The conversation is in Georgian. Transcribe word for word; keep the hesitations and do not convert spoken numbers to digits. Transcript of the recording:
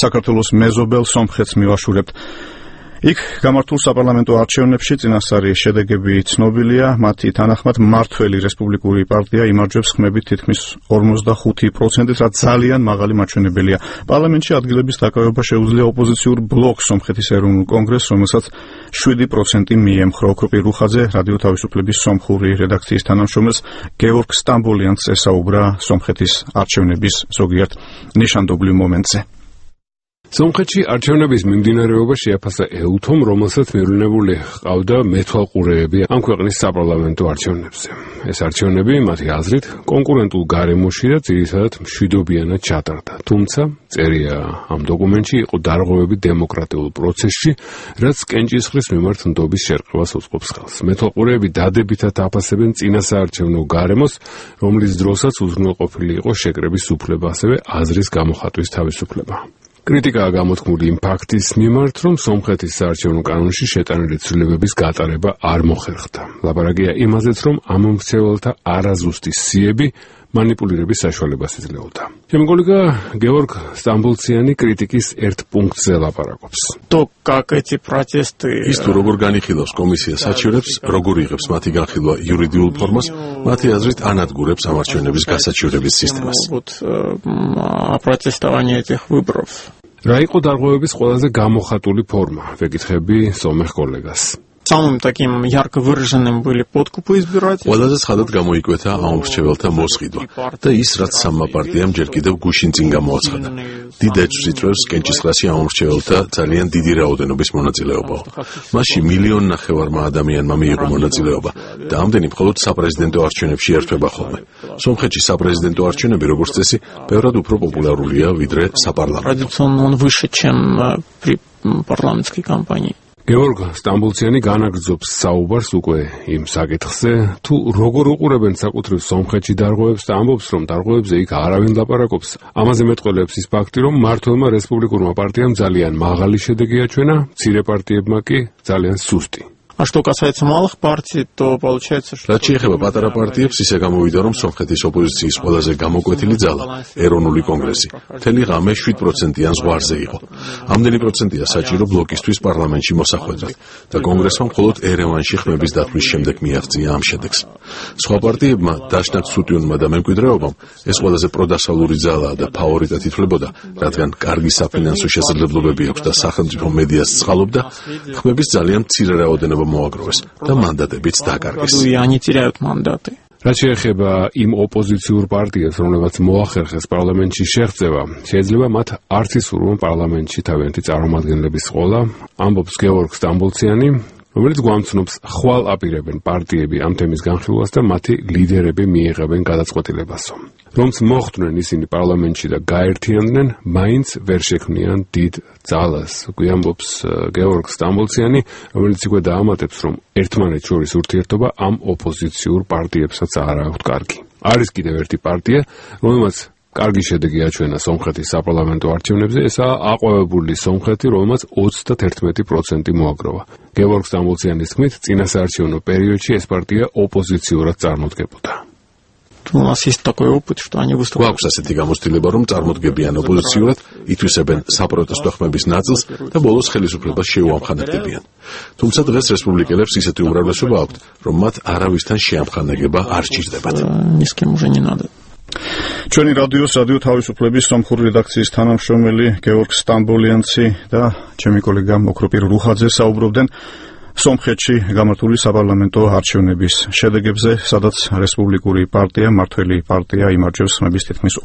საქართველოს მეზობელ სომხეთს მივაშურებთ. იქ გამართულ საპარლამენტო არჩევნებში წინასწარი შედეგები ცნობილია, მათი თანახმად მმართველი რესპუბლიკური პარტია იმარჯვებს ხმებით თითქმის ორმოცდახუთი პროცენტით, რაც ძალიან მაღალი მაჩვენებელია. პარლამენტში ადგილების დაკავება შეუძლია ოპოზიციურ ბლოკს სომხეთის ეროვნულ კონგრესს, რომელსაც შვიდი პროცენტი მიემხრო. ოქროპირ რუხაძე რადიო თავისუფლების სომხური რედაქციის თანამშრომელს გეორგ სტამბოლიანს ესაუბრა სომხეთის არჩევნების ზოგიერთ ნიშანდობლივ მომენტზე. სომხეთში არჩევნების მიმდინარეობა შეაფასა ეუთომ, რომელსაც მივლინებული ჰყავდა მეთვალყურეები ამ ქვეყნის საპარლამენტო არჩევნებზე. ეს არჩევნები, მათი აზრით, კონკურენტულ გარემოში და ძირითადად მშვიდობიანად ჩატარდა. თუმცა, წერია ამ დოკუმენტში, იყო დარღვევები დემოკრატიულ პროცესში, რაც კენჭისყრის მიმართ ნდობის შერყევას უწყობს ხელს. მეთვალყურეები დადებითად აფასებენ წინასაარჩევნო გარემოს, რომლის დროსაც უზრუნველყოფილი იყო შეკრების უფლება, ასევე აზრის გამოხატვის თავისუფლება. კრიტიკაა გამოთქმული იმ ფაქტის მიმართ, რომ სომხეთის საარჩევნო კანონში შეტანილი ცვლილებების გატარება არ მოხერხდა. ლაპარაკია იმაზეც, რომ ამ მრჩეველთა არაზუსტი სიები манипулირების საშუალებას იძლეოდა. ჩემი კოლეგა გეორგ სტამბოლციანი კრიტიკის ერთ პუნქტზე ლაპარაკობს. То, как эти протесты ის თუ როგორ განიხილავს კომისია საჩივრებს, როგორ იღებს მათი განხილვა იურიდიულ ფორმას, მათი აზრით ანადგურებს ამ არჩევნების გასაჩივრების სისტემას. вот протестование этих выборов. რა იყო დარღვევების ყველაზე გამოხატული ფორმა? ვეკითხები სომეხ კოლეგას. Самым таким ярко выраженным были подкупы избирателей. ყველაზე ცხადად გამოიკვეთა ამ მრჩეველთა მოსყიდვა და ის, რაც სამმა პარტიამ ჯერ კიდევ გუშინ წინ გამოაცხადა. დიდ ეჭვს იწვევს კენჭისყრაში ამ მრჩეველთა ძალიან დიდი რაოდენობის მონაწილეობაო. მასში მილიონ ნახევარმა ადამიანმა მიიღო მონაწილეობა და ამდენი მხოლოდ საპრეზიდენტო არჩევნებში ერთვება ხოლმე. სომხეთში საპრეზიდენტო არჩევნები, როგორც წესი, ბევრად უფრო პოპულარულია, ვიდრე საპარლამენტო. Традиционно он выше, чем при парламентской кампании. გეორგ სტამბოლციანი განაგრძობს საუბარს უკვე იმ საკითხზე, თუ როგორ უყურებენ საკუთრივ სომხეთში დარღვევებს და ამბობს, რომ დარღვევებზე იქ არავინ ლაპარაკობს. ამაზე მეტყველებს ის ფაქტი, რომ მმართველმა რესპუბლიკურმა პარტიამ ძალიან მაღალი შედეგი აჩვენა, მცირე პარტიებმა კი ძალიან სუსტი. А что касается малых партий, то получается, что... რაც შეეხება პატარა პარტიებს, ისე გამოვიდა, რომ სომხეთის ოპოზიციის ყველაზე გამოკვეთილი ძალა, ეროვნული კონგრესი, მთელი ღამე შვიდ პროცენტიან ზღვარზე იყო. ამდენი პროცენტია საჭირო ბლოკისთვის პარლამენტში მოსახვედრად და კონგრესმა მხოლოდ ერევანში ხმების დათმის შემდეგ მიაღწია ამ შედეგს. სხვა პარტიებმა, დაშნაკ სუტიუნმა და მემკვიდრეობამ, ეს ყველაზე პროდასავლური ძალაა და ფავორიტად ითვლებოდა, რადგან კარგი საფინანსო შესაძლებლობები აქვს და სახელმწიფო მედიას ცხალობდა, ხმების ძალიან მცირე რაოდენობა მოაგროვეს და მანდატებიც დაკარგეს. რაც შეეხება იმ ოპოზიციურ პარტიებს, რომლებიც მოახერხეს პარლამენტში შეღწევა, შეიძლება მათ არც ისურვონ პარლამენტში თავიანთი წარმომადგენლების ყოლა, ამბობს გეორგ სტამბოლციანი, რომელიც გვამცნობს ხვალ აპირებენ პარტიები ამ თემის განხილვას და მათი ლიდერები მიიღებენ გადაწყვეტილებასო. რომც მოხვდნენ ისინი პარლამენტში და გაერთიანდნენ, მაინც ვერ შექმნიან დიდ ძალას. გვიამბობს გეორგ სტამბოლციანი, რომელიც უკვე დაამატებს, რომ ერთმანეთს შორის ურთიერთობა ამ ოპოზიციურ პარტიებსაც არ აქვთ კარგი. არის კიდევ ერთი პარტია, რომელმაც კარგი შედეგი აჩვენა სომხეთის საპარლამენტო არჩევნებზე, ესაა აყვავებული სომხეთი, რომელმაც ოცდაათი პროცენტი მოაგროვა. გეორგ სტამბოლციანის თქმით, წინასაარჩევნო პერიოდში ეს პარტია ოპოზიციურად წარმოდგებოდა. У нас есть такой опыт, что они выступают. გვაქვს ასეთი გამოცდილება, რომ წარმოდგებიან ოპოზიციურად, ითვისებენ საპროტესტო ხმების ნაწილს და ბოლოს ხელისუფლებას შეუამხანებდებიან. თუმცა დღეს რესპუბლიკელებს ისეთი უმრავლესობა აქვთ, რომ მათ არავისთან შეამხანაგება არ სჭირდებათ. Ни с кем уже не надо. ჩვენი რადიოს რადიო თავისუფლების სომხური რედაქციის თანამშრომელი გეორგ სტამბოლიანცი და ჩემი კოლეგა ოქროპირ რუხაძე საუბრობდნენ სომხეთში გამართული საპარლამენტო არჩევნების შედეგებზე, სადაც რესპუბლიკური პარტია, მმართველი პარტია იმარჯვებს ხმების თითქმის